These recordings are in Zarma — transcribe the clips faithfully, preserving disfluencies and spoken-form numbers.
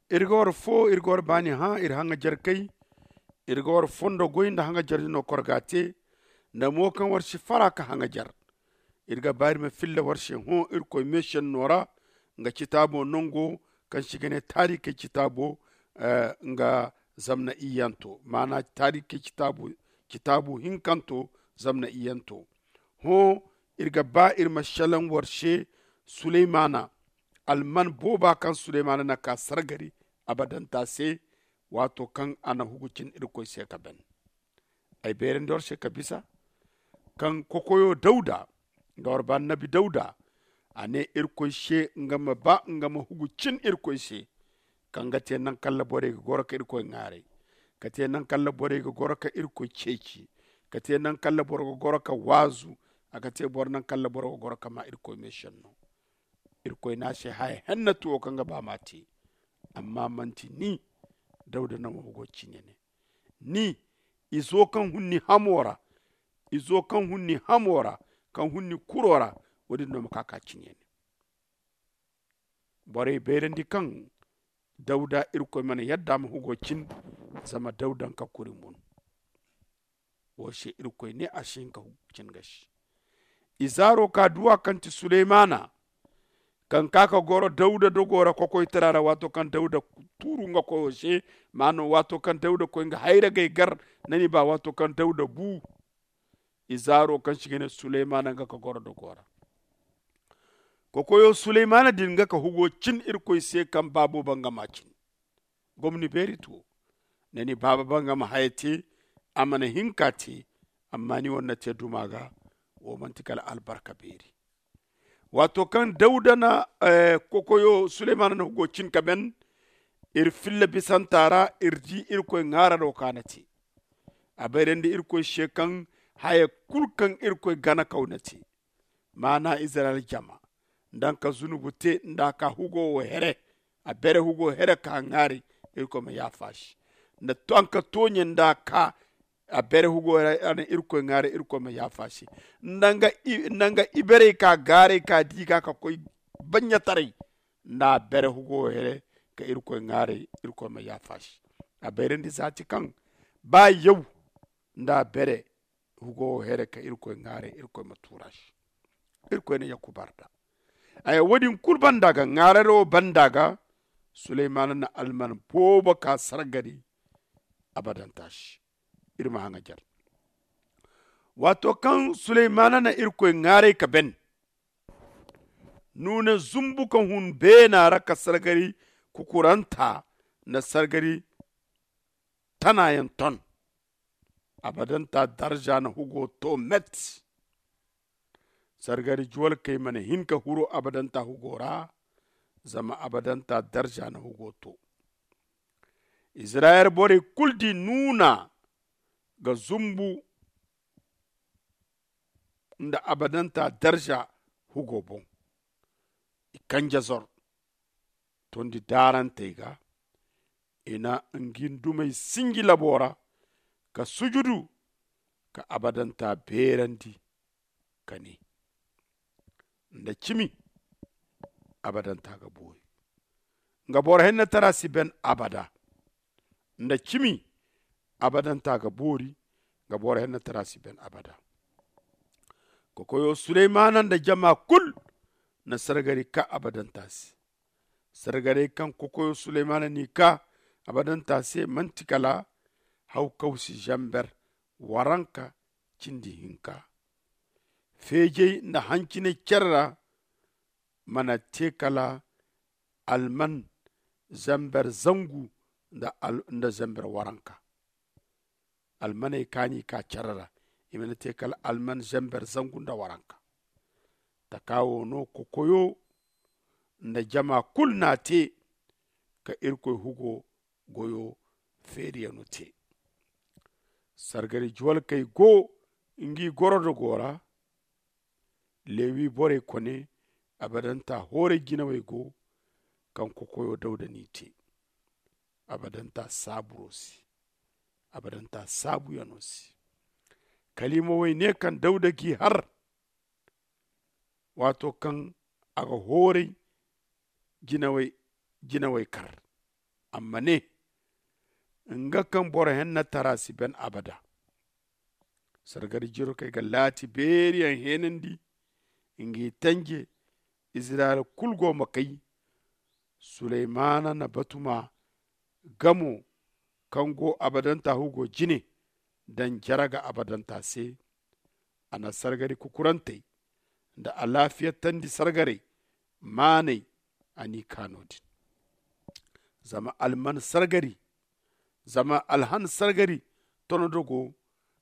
Iri ga war fo iri ga war baani hã iri haŋajer kay. Iri ga war fondo goy nda haŋajer dino kor ga a te nda mo kaŋ war si fara ka haŋajer. Iri ga ba iri ma filla war se hõ irkoy meesenno ra nga citaabo nango kaŋ se i ga ne taarikey citaabo. Nga zamna iyyanto maana taarikey citaabo hinkanto zamna iyyanto. Hõ iri ga ba iri ma selaŋ war se suleymana alman booba kaŋ suleymana na ka sargari abadanta se. Waato kaŋ a na hugu cin irkoy se ka ban ay beerandi war se ka bisa kaŋ kokoyo dawda nga war ba annabi dawda a ne irkoy se nga ma ba nga ma hugu cin irkoy se. Kaŋ ga te naŋ kaŋ ra borey ga goro ka irkoy ŋaaray ka te naŋ kaŋ ra borey ga goro ka irkoy ceeci ka te naŋ kaŋ ra boro ga goro ka waazu a ga te boro naŋ kaŋ ra boro ga goro ka ma irkoy meesenno. Irkoy ne a se haya hennatu wo kaŋ ga ba ma a te. Amma manti ni dawda no ma hugo cine ne ni izo kaŋ hun ni hamo ra izo kaŋ hun ni hamo ra kaŋ hun ni kuro ra. Wo- din no ma ka ka cine ne borey bayrandi kaŋ dawda irkoy mana yadda ma hugo cin. Zama dawda nga kuri mun wo se irkoy ne a si hin ka hugu cin ga si. Izaaro ka duwa kaŋ ti suleymana kaŋ ka ka goro dawda dogo ra kokoytara ra waato kaŋ dawda tuuru nga koyo se. Maano waato kaŋ dawda koy nga hayragey gar na ni ba waato kaŋ dawda bu izaaro kaŋ si ga ne suleymana nga ka goro dogo ra. Kokoyo suleymana din nga ka hugo cin irkoy se kaŋ baabo bangama cin gomni beeri tuwo. Nda ni baaba bangama haya te a mana hin ka te amma ni wane na te duma ga. Wo manti kala albarka beeri. Waato kaŋ dawda na kokoyo suleymana na hugo cin ka ban iri filla bisanta ra iri di irkoy ŋaararo ka na te. A bayrandi irkoy se kaŋ haya kulu kaŋ irkoy ganakaw na te maana izirayel jama nda nga ka zunubu te nda a ka hugo wo here a bere hugo here ka ŋaaray. Irkoy ma yaafa a se nda a ka tooɲe nda a ka a bere hugo here a na irkoy ŋaaray irkoy ma yaafa a se. Nda nga iberey ka gaaray ka di ga ka koy baɲɲataray nda a bere hugo wo here ka irkoy ŋaaray irkoy ma yaafa a se. A bayrandi zaati kaŋ ba yaw nda a bere hugo wo here ka irkoy ŋaaray irkoy ma tuura se. Irkoy na yakubar da aya wo- din kulu banda ga ŋaararo banda ga suleymana na alman boobo ka sargari abadanta se. Iri ma haŋajer waato kaŋ suleymana na irkoy ŋaaray ka ban nuuna zumbu ka hun beena ra ka sargari kukuranta nda sargari tanayaŋ ton. Abadanta darza na hugo to met. Sargari juwalkey mana hin ka huru abadanta hugo ra. Zama abadanta darza na hugo to izirayel borey kulu di nuuna ga zumbu nda abadanta darza hugo boŋ. I kanje zor tondi daarantey ga i na ngi dumey sinji labo ra ka sujudu ka abadanta beerandi ka ne nda cimi abadanta ga boori. Nga boro hennatara si ben abada nda cimi abadanta ga boori. Nga boro hennatara si ben abada. Kokoyo suleymana nda jama kulu na sargari ka abadanta se. Sargarey kaŋ kokoyo suleymana n'i ka abadanta se manti kala hawkawsi zamber waranka cindi hinka. Feejey nda hanciney care ra mana te kala alman zamber zangu nda zamber waranka. Almaney ka n'i ka care ra i mana te kala alman zamber zangu nda waranka. Taka wo no kokoyo nda jama kulu n'a te ka irkoy hugo goyo feeriyano te. Sargari juwalkey go ngi gorodogo ra. Lewi borey kone abadanta hooray jinawey go kaŋ kokoyo dawda n'i te. Abadanta saaburo se abadanta saabuyano se. Kaliimawey ne kaŋ dawda g'i har waato kaŋ a ga hooray jinawey kar. A ma ne, nga kaŋ boro henna tara si ban abada. Sargari jirokey ga laati beeriyaŋ heenandi, ngi tanje. Izirayel kulu go ma kay. Suleymana na batuma gamo kaŋ go abadanta hugo jine daŋ jaraga abadanta se. A na sargari kukurantey nda alaafiyatandi sargaray maanay. A n'i kaano din zama alman sargari zama alhan sargari tonodogo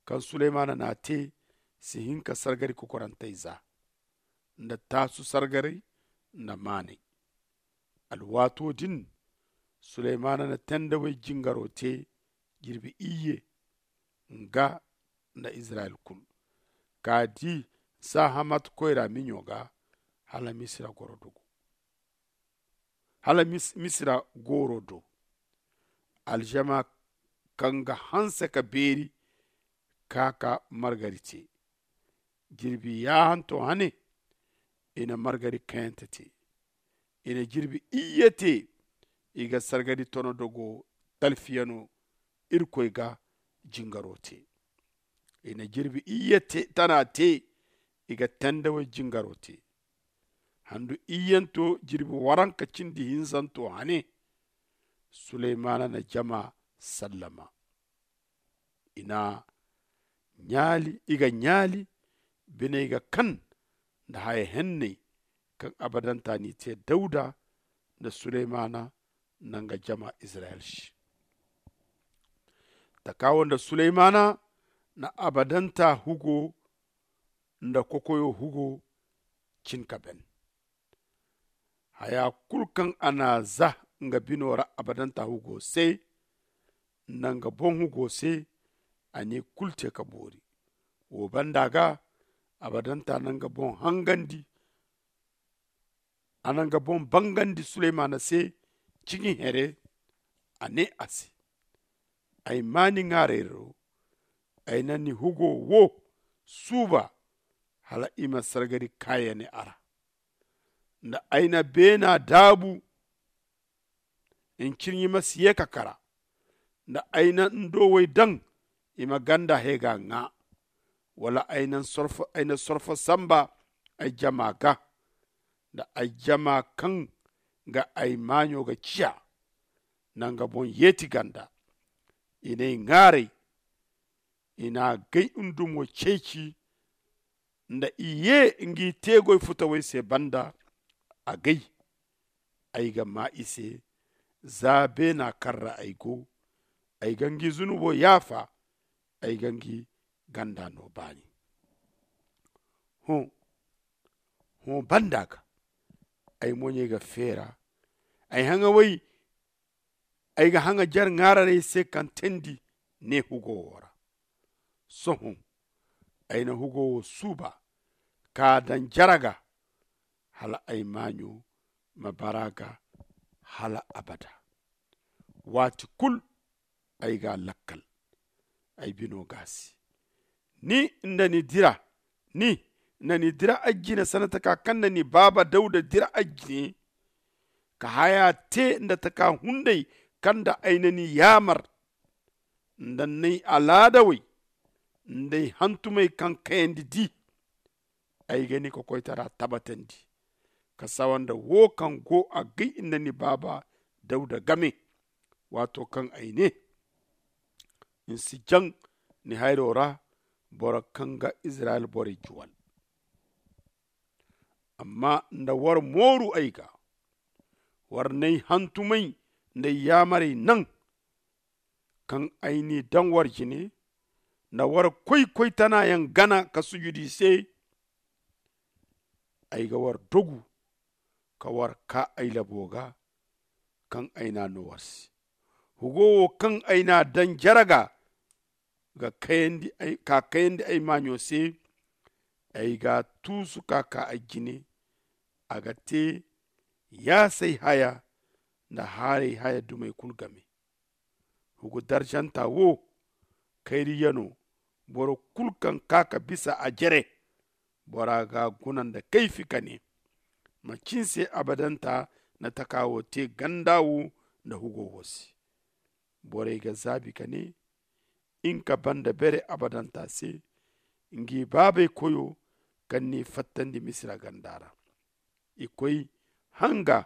kaŋ suleymana n'a te si hin ka sargari kokorantey za nda taasu sargaray nda maanay. Alwaato din suleymana na tendawey jingaro te jirbi iyye nga nda izirayel kulu ka di sahamat koyra miɲo ga hala misira goro dogo hala misira gooro do. Aljama kaŋ ga hanse ka beeri ka ka margari te jirbi yaahanto hane. I na margari kayante te i na jirbi iyye te. I ga sargari tono dogo talfiyano irkoy ga jingaro te. I na jirbi iyye tana te i ga tendawey jingaro te. Handu iyyanto jirbi waranka cindi hinzanto hane. Suleymana na jama sallama i na ɲaali i ga ɲaali biney ga kan nda haya henney kaŋ abadanta n'i te dawda nda suleymana nda nga jama izirayel se. Taka wo nda suleymana na abadanta hugo nda kokoyo hugo cin ka ben. Haya kulu kaŋ a n'a za nga bino ra abadanta hugo se nda nga boŋ hugo se. A n'i kulu te ka boori wo banda ga abadanta na nga boŋ hangandi. A na nga boŋ bangandi suleymana se ciŋi here. A ne a se, ay ma ni ŋaarayro. Ay na ni hugo wo suuba hala i ma sargari kaayane a ra nda ay na beena daabu. Ncirɲi ma si ye ka kara nda ay na ndowey daŋ i ma ganda he ga ŋaa. Wala ay na sorfo samba ay jama ga nda ay jama kaŋ ga ay maaɲo ga ciya nda nga boŋ yeeti ganda. I n'ay ŋaaray i n'a gay ndumo ceeci nda i ye ngi teegoy futawey se banda. Agay ay ga maa i se za beena kaŋ ra ay go. Ay ga ngi zunubo yaafa ay ga ngi ganda no baani. Hõ hõ banda ga ay moɲey ga feera. Ay haŋawey ay ga haŋa jare ŋaararey se kaŋ teendi ne hugo wo ra. Sohõ ay na hugo wo suuba ka daŋ jare ga hala ay maaɲo ma bara ga hala abada. Waati kulu ay ga a lakkal ay bino ga a se. Ni nda ni dira ni nda ni dira ay jine sanda taka kaŋ nda ni baaba dawda dira ay jine ka haya te nda taka hunday kaŋ nda ay na ni yaamar nda ni alaadawey nda ay hantumey kaŋ kayandi di. Ay ga ni kokoytara tabbatandi ka sawa nda wo kaŋ go agay nda ni baaba dawda game. Waato kaŋ ay ne ni si jaŋ ni hayro ra boro kaŋ ga izirayel borey juwal. Amma nda war mooru ay ga war n'ay hantumay nda ay yaamarey naŋ kaŋ ay n'i daŋ war jine nda war koy koytanayaŋ gana ka sujudu i se. Ay ga war dogu ka war kaa ay labo ga kaŋ ay n'a no war se. Hugo wo kaŋ ay n'a daŋ jare ga ga kayandi ay maaɲo se. Ay g'a tuusu ka kaa ay jine. A ga te yaasay haya nda haaray haya dumey kulu game. Hugu darjanta wo kayriyano boro kulu kaŋ kaa ka bisa a jere. Bora ga guna nda kayfi ka ne, macin se abadanta na taka wo te ganda wo nda hugo wo se. Borey ga zaabi ka ne, hinka banda bere abadanta se, ngi baabey koyo kaŋ n'i fattandi misira ganda ra. I koy hanga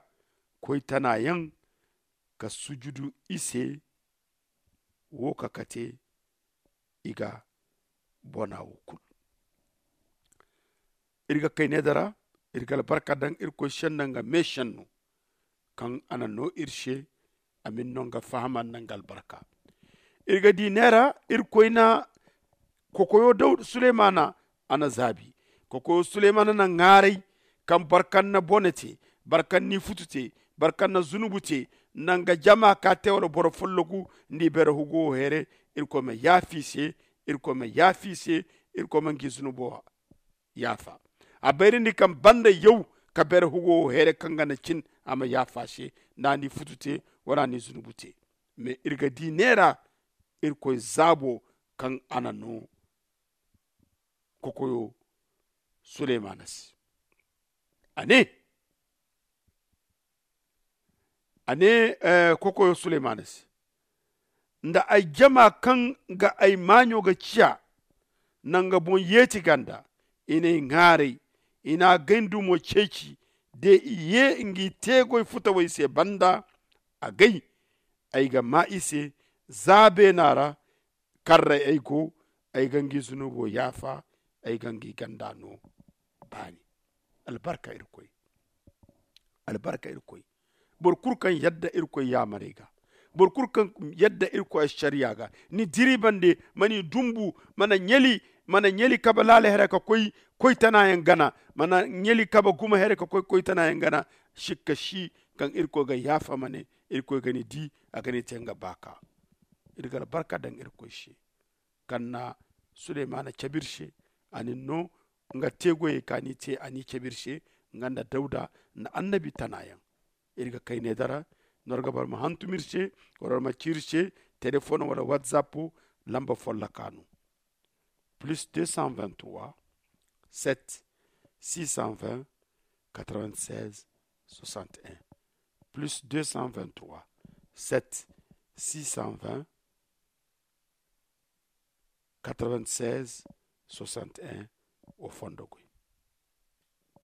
koy tana yaŋ ka sujudu i se. Wo ka kate i ga bona wo kulu. Iri ga kayne dara, iri ga albarka daŋ irkoy senno nga me senno kaŋ a na no iri se. A ma ni no nga fahama nda nga albarka. Iri ga di neera, irkoy na kokoyo daw sulemana a na zaabi. Kokoyo sulemana na ŋaaray kaŋ boro kaŋ na bone te, boro kaŋ na ifutu te, boro kaŋ na zunubu te, nda nga jama ka te wala boro follogu nda i beere hugo wo heere. Irkoy ma yaafa i se. Irkoy ma yaafa i se. Irkoy ma ngi zunubo yaafa. A bayrandi kaŋ banda yaw ka beere hugo wo heere kaŋ ga na cin a ma yaafa se, nda a na ifutu te wala a na izunubu te. Mais iri ga di neera irkoy zaabo kaŋ a na no kokoyo sulemana se. A ne a ne kokoyo sulemana se, nda ay jama kaŋ ga ay maaɲo ga ciya nanga boŋ yeeti ganda, i n'ay ŋaaray, i na gay ndumo ceeci. De i ye ngi teegoy futawey se banda, a gay ay ga maa i se. Za beena ra karray ay go, ay ga ngi zunubo yaafa, ay ga ngi ganda no baani. Albarka irkoy. Albarka irkoy. Boro kulu kaŋ yadda irkoy yaamarey ga, boro kulu kaŋ yadda irkoy ašariya ga, ni diri bande, ma ni dumbu, mana ɲali mana ɲali kabe laala here ka koy koy tana yaŋ gana, mana ɲali kabe gumo here ka koy koy tana yaŋ gana. Sikka si kaŋ irkoy ga yaafa ma ne irkoy ga ni di, a ga ni te nga baaka. Iri ga albarka daŋ irkoy se kaŋ na sulemana cabe iri se. A na ni no nga teegoyey kaŋ a n'i te a n'i cabe iri se, nga nda dawda nda annabi tana yaŋ. Iri ga kayne dara, nor ga boro ma hantum iri se, wala boro ma ci iri se, telefoŋ wala whatsapp lamba folloka no. Plus deux cent vingt-trois, sept, six cent vingt, quatre-vingt-seize, soixante et un. Plus deux cent vingt-trois, sept, six cent vingt, quatre-vingt-seize, soixante et un. Wo fondo goy.